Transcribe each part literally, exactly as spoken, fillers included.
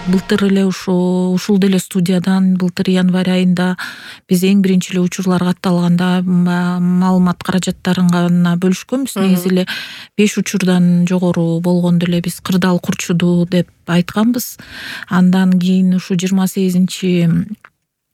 былтыр эле ушу ушул деле студиядан былтыр январь айында биз эң биринчи эле учурлар катталганда маалымат каражаттарын гана бөлүшкөнбүз. Негизи эле беш учурдан жогору болгондо эле биз кырдаал курчуду деп айтканбыз. Андан кийин ушу жыйырма сегизинчи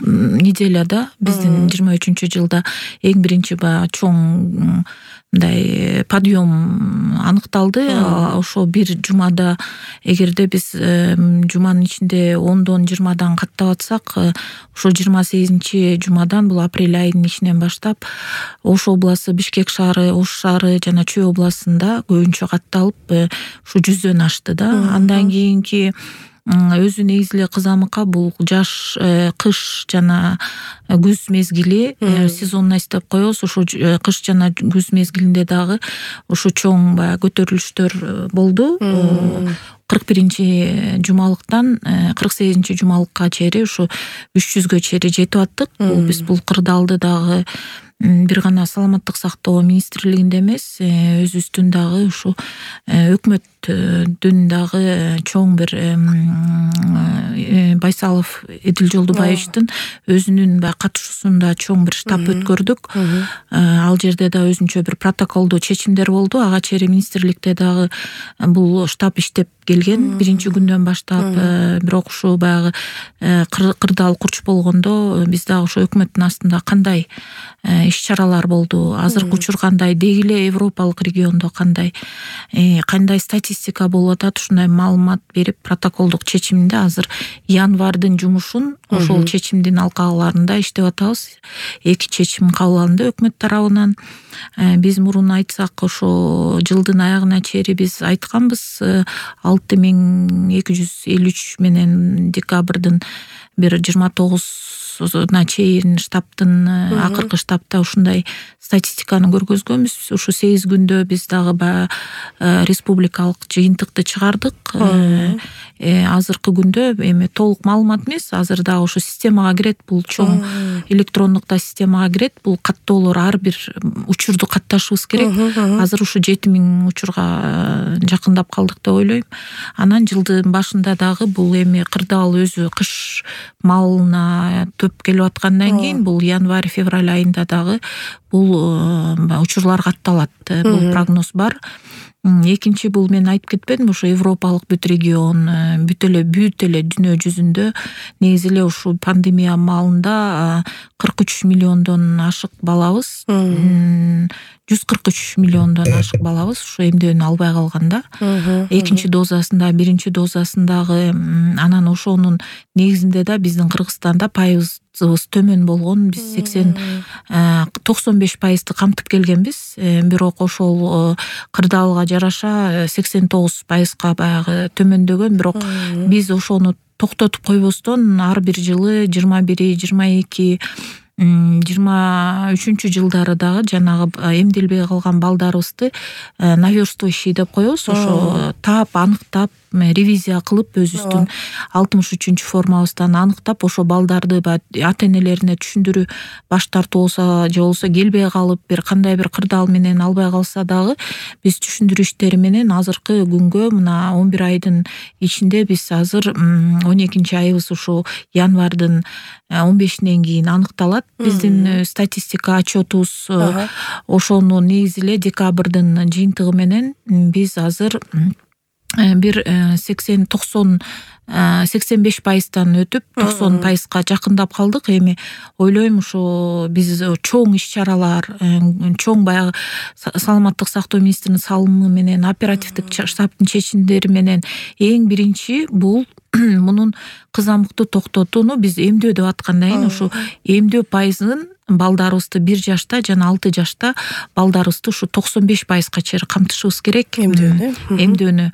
неделяда биздин жыйырма үчүнчү жылда эң биринчи баягы чоң мындай подъем аныкталды. Ошо бир жумада эгерде биз жуманын ичинде ондон жыйырмадан каттап атсак, ошо жыйырма сегизинчи жумадан бул апрель айынын ичинен баштап Ош областы, Бишкек шаары, Ош шаары жана Чүй областында көбүнчө катталып ушу жүздөн ашты да. Андан кийинки өзү негизи эле кызамыкка бул жаш, кыш жана күз мезгили, сезонность деп коебуз. Ошо кыш жана күз мезгилинде дагы ошо чоң баягы көтөрүлүштөр болду. кырк биринчи жумалыктан кырк сегизинчи жумалыкка чейин ушу үч жүзгө чейин жетип аттык. Бул биз бул кырдаалды дагы бир гана саламаттык сактоо министрлигинде эмес, өзүбүздүн дагы ушу өкмөттүн дагы чоң бир Байсалов Эдил Жолдубаевичтин өзүнүн баягы катышуусунда чоң бир штаб өткөрдүк. Ал жерде да өзүнчө бир протоколдуу чечимдер болду. Ага чейин министрликте дагы бул штаб иштеп келген биринчи күндөн баштап. Бирок ушу баягы кырдаал курч болгондо биз дагы ошо өкмөттүн астында кандай иш-чаралар болду, азыркы учур кандай, деги эле европалык региондо кандай кандай статистика болуп атат, ушундай маалымат берип протоколдук чечиминде азыр январдын жумушун ошол чечимдин алкааларында иштеп атабыз. Эки чечим кабыл алынды өкмөт тарабынан. Биз мурун айтсак, ошо жылдын аягына чейин биз айтканбыз, алты миң эки жүз элүү үч менен декабрдын бир жыйырма тогузуна чейин штабтын акыркы штабта ушундай статистиканы көргөзгөнбүз. Ушу сегиз күндө биз дагы баягы республикалык жыйынтыкты чыгардык. Азыркы күндө эми толук маалымат эмес, азыр дагы ошо системага кирет, бул чоң электрондук системага кирет. Бул каттоолор ар бир учурду катташыбыз керек. Азыр ушу жети миң учурга жакындап калдык деп ойлойм. Анан жылдын башында дагы бул эми кырдаал өзү кыш малына төп келип аткандан кийин бул январь февраль айында дагы бул учурлар катталат. Бул прогноз бар. Экинчи бул мен айтып кетпедим, ошо европалык бүт регион, бүт эле бүт эле дүйнө жүзүндө негизи эле ушу пандемия маалында кырк үч миллиондон ашык балабыз, жүз кырк үч миллиондон ашык балабыз ушу эмдөөнү албай калганда. Экинчи дозасында, биринчи дозасындагы, анан ошонун негизинде да биздин Кыргызстанда пайыз төмөн болгон. Биз сексен токсон беш пайызды камтып келгенбиз. Бирок ошол кырдаалга жараша сексен тогуз пайызга баягы төмөндөгөн. Бирок биз ошону токтотуп койбостон ар бир жылы жыйырма бир, жыйырма эки, жыйырма үчүнчү жылдары дагы жанагы эмделбей калган балдарыбызды наверстывающий деп коебуз. Ошо таап, аныктап, ревизия кылып өзүбүздүн алтымыш үчүнчү формабыздан аныктап, ошо балдарды ата-энелерине түшүндүрүү баш тартуу болсо же болбосо келбей калып бир кандай бир кырдаал менен албай калса дагы биз түшүндүрүү иштери менен азыркы күнгө мына он бир айдын ичинде биз азыр он экинчи айыбыз ушу январдын он бешинен кийин аныкталат. Биздин статистика отчетубуз ошону негизи эле декабрдын жыйынтыгы менен биз азыр бир сексен токсон сексен беш пайыздан өтүп токсон пайызга жакындап калдык. Эми ойлойм ушу биз чоң иш-чаралар, чоң баягы саламаттык сактоо министринин салымы менен, оперативдик штабтын чечимдери менен эң биринчи бул мунун кызамыкты токтотууну биз эмдөө деп аткандан кийин ушу эмдөө пайызын балдарыбызды бир жашта жана алты жашта балдарыбызды ушу токсон беш пайызга чейин камтышыбыз керек эмдөөнү. Эмдөөнү.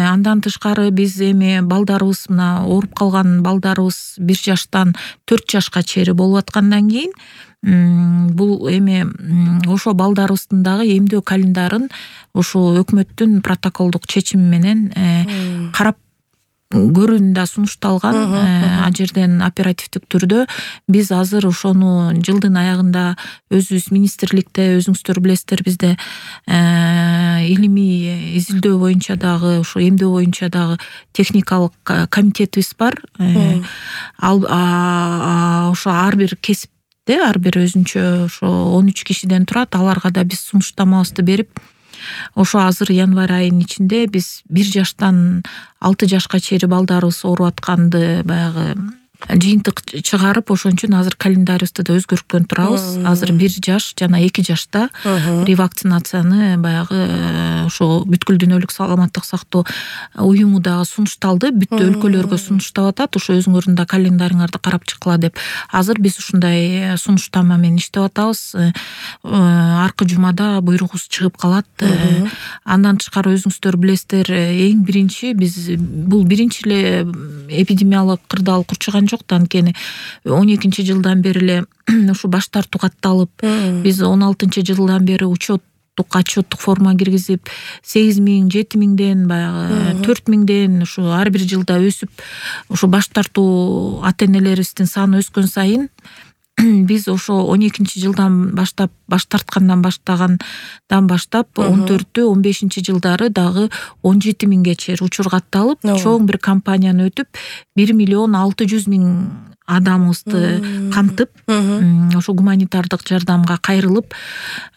Андан тышкары биз эми балдарыбыз мына ооруп калган балдарыбыз бир жаштан төрт жашка чейин болуп аткандан кийин бул эми ошо балдарыбыздын дагы эмдөө календарын ошо өкмөттүн протоколдук чечими менен карап көрүүнү да сунушталган. Ал жерден оперативдик түрдө биз азыр ошону жылдын аягында өзүбүз министрликте, өзүңүздөр билесиздер, бизде илимий изилдөө боюнча дагы, ошо эмдөө боюнча дагы техникалык комитетибиз бар. Ал ошо ар бир кесипте, ар бир өзүнчө ошо он үч кишиден турат. Аларга да биз сунуштамабызды берип, ошо азыр январь айынын ичинде биз бир жаштан алты жашка чейин балдарыбыз ооруп атканды баягы жыйынтык чыгарып, ошон үчүн азыр календарыбызды да өзгөрткөн турабыз. Азыр бир жаш жана эки жашта ревакцинацияны баягы ошо бүткүл дүйнөлүк саламаттык сактоо уюму дагы сунушталды. Бүт өлкөлөргө сунуштап атат. Ошо өзүңөрдүн да календарыңарды карап чыккыла деп. Азыр биз ушундай сунуштама менен иштеп атабыз. Аркы жумада буйругубуз чыгып калат. Андан тышкары өзүңүздөр билесиздер, эң биринчи биз бул биринчи эле эпидемиялык кырдаал курчуган жок да, анткени он экинчи жылдан бери эле ушу баш тартуу катталып, биз он алтынчы жылдан бери учеттук, отчеттук форма киргизип, сегиз миң, жети миңден баягы төрт миңден ушу ар бир жылда өсүп, ушу баш тартуу ата-энелерибиздин саны өскөн сайын биз ошо он экинчи жылдан баштап, баш тарткандан баштагандан баштап он төртү он бешинчи жылдары дагы он жети миңге чейин учур катталып, чоң бир кампанияны өтүп, бир миллион алты жүз миң адамыбызды камтып, ошо гуманитардык жардамга кайрылып,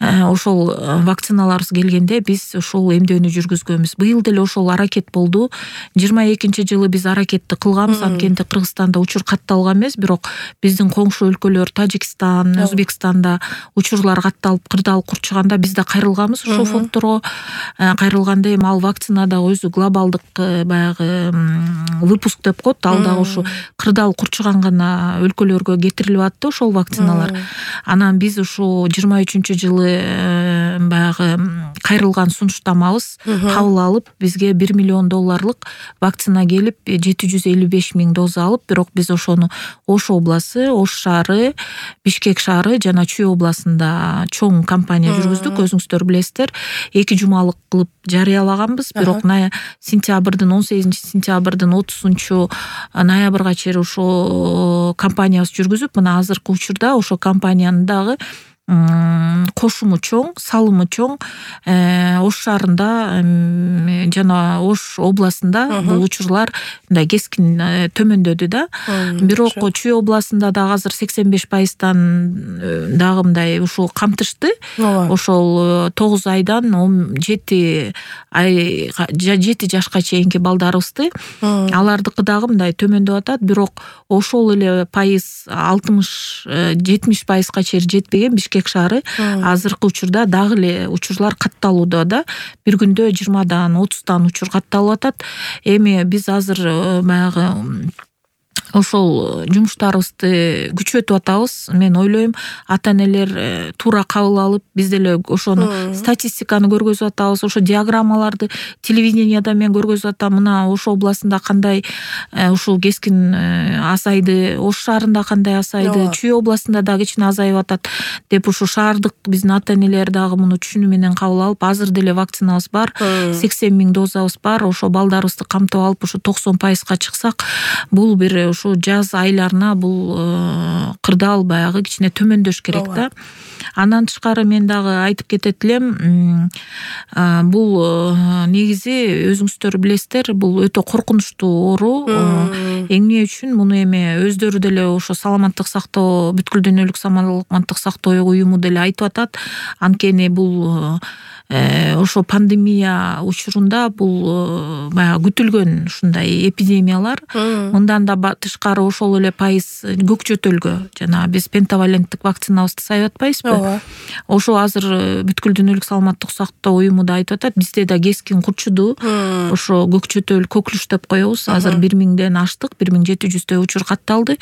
ошол вакциналарыбыз келгенде биз ошол эмдөөнү жүргүзгөнбүз. Быйыл деле ошол аракет болду. жыйырма экинчи жылы биз аракетти кылганбыз, анткени Кыргызстанда учур катталган эмес, бирок биздин коңшу өлкөлөр Тажикстан, Өзбекстанда учурлар катталып, кырдаал курчуганда биз да кайрылганбыз ошол фондторго. Кайрылганда эми ал вакцина дагы өзү глобалдык баягы выпуск деп коет, ал дагы ушу кырдаал курчуган гана өлкөлөргө кетирилип атты ошол вакциналар. Анан биз ушу жыйырма үчүнчү жылы баягы кайрылган сунуштамабыз кабыл алып, бизге бир миллион долларлык вакцина келип, жети жүз элүү беш миң доза алып, бирок биз ошону Ош обласы, Ош шаары, Бишкек шаары жана Чүй областында чоң кампания жүргүздүк. Өзүңүздөр билесиздер, эки жумалык кылып жарыялаганбыз, бирок сентябрдын он сегизинчи сентябрдын отузунчу ноябрга чейин ошо кампаниябыз жүргүзүп, мына азыркы учурда ошо компаниянын дагы кошуму чоң, салымы чоң. Ош шаарында жана Ош областында бул учурлар мындай кескин төмөндөдү да. Бирок Чүй областында дагы азыр сексен беш пайыздан дагы мындай ушул камтышты. Ошол тогуз айдан он жети ай жети жашка чейинки балдарыбызды, алардыкы дагы мындай төмөндөп атат. Бирок ошол эле пайыз алтымыш жетимиш пайызга чейин жетпеген Бишкек шаары азыркы учурда дагы эле учурлар катталууда да. Бир күндө жыйырмадан отуздан учур катталып атат. Эми биз азыр баягы ошол жумуштарыбызды күчөтүп атабыз. Мен ойлойм, ата-энелер туура кабыл алып, биз деле ошону статистиканы көргөзүп атабыз, ошо диаграммаларды телевиденияда мен көргөзүп атам. Мына Ош областында кандай ушул кескин азайды, Ош шаарында кандай азайды, Чүй областында дагы кичине азайып атат деп, ушу шаардык биздин ата-энелер дагы муну түшүнүү менен кабыл алып, азыр деле вакцинабыз бар, сексен миң дозабыз бар. Ошо балдарыбызды камтып алып, ушу токсон пайызга чыксак, бул бир ушу жаз айларына бул кырдаал баягы кичине төмөндөш керек да. Андан тышкары мен дагы айтып кетет элем, бул негизи өзүңүздөр билесиздер, бул өтө коркунучтуу оору. Эмне үчүн муну эми өздөрү деле ошо саламаттык сактоо, бүткүл дүйнөлүк саламаттык сактоо уюму деле айтып атат. Анткени бул ошо пандемия учурунда бул баягы күтүлгөн ушундай эпидемиялар. Мындан да тышкары ошол эле пайыз көк жөтөлгө жана биз пентаваленттик вакцинабызды сайып атпайбызбы? Ошо азыр бүткүл дүйнөлүк саламаттык сактоо уюму да айтып атат, бизде да кескин курчуду. Ошо көк жөтөл, коклюш деп коебуз. Азыр бир миңден аштык, бир миң жети жүздөй учур катталды.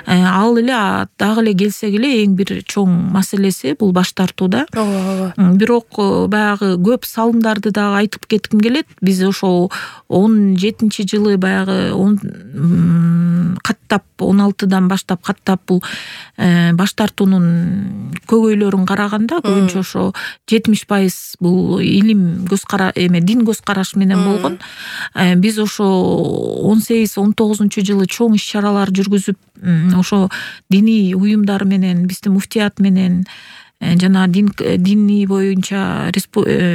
Ал эле дагы эле келсек эле эң бир чоң маселеси бул баш тартууда. Бирок баягы баягы көп салымдарды дагы айтып кетким келет. Биз ошо он жетинчи жылы баягы он каттап он алтыдан баштап каттап бул баш тартуунун көйгөйлөрүн караганда көбүнчө ошо жетимиш пайыз бул илим көз кара эме дин көз караш менен болгон. Биз ошо он сегиз он тогузунчу жылы чоң иш чаралар жүргүзүп ошо диний уюмдар менен биздин муфтият менен жана дин дини боюнча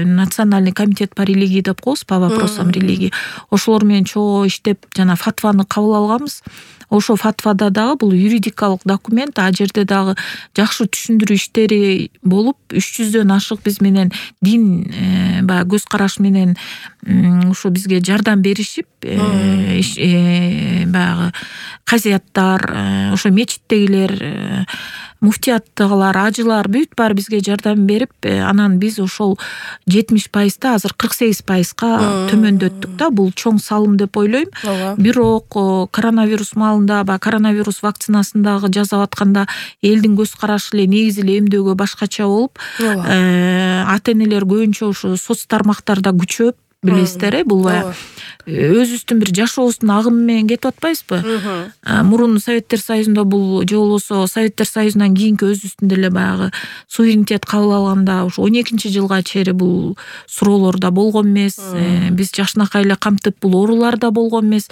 национальный комитет по религии деп коебуз, по вопросам религии. Ошолор менен чогуу иштеп жана фатваны кабыл алганбыз. Ошо фатвада дагы бул юридикалык документ, а жерде дагы жакшы түшүндүрүү иштери болуп, үч жүздөн ашык биз менен дин баягы көз караш менен ошо бизге жардам беришип, баягы казияттар, ошо мечиттегилер, муфтияттагылар, ажылар бүт баары бизге жардам берип, анан биз ошол жетимиш пайызда азыр кырк сегиз пайызга төмөндөттүк да. Бул чоң салым деп ойлойм. Бирок коронавирус маалында, баягы коронавирус вакцинасын дагы жасап атканда элдин көз карашы эле негизи эле эмдөөгө башкача болуп, ата-энелер көбүнчө ошо соц тармактарда күчөп, билесиздер э, бул баягы өзүбүздүн бир жашообуздун агымы менен кетип атпайбызбы? Мурун Советтер Союзунда бул же болбосо Советтер Союзунан кийинки өзүбүздүн деле баягы суверенитет кабыл алганда ошо он экинчи жылга чейин бул суроолор да болгон эмес. Биз жакшынакай эле камтып бул оорулар да болгон эмес.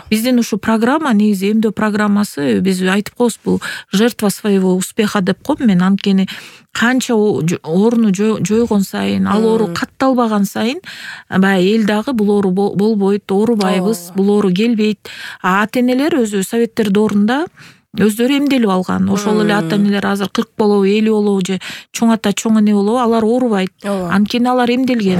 Биздин ушу программа, негизи эмдөө программасы, биз айтып коебуз, бул жертва своего успеха деп коем мен. Анткени канча ооруну жойгон сайын, ал оору катталбаган сайын баягы эл дагы бул оору болбойт, оорубайбыз, бул оору келбейт. А ата-энелер өзү Советтер доорунда өздөрү эмделип алган. Ошол эле ата-энелер азыр кырк болобу, элүү болобу же чоң ата чоң эне болобу, алар оорубайт. Анткени алар эмделген.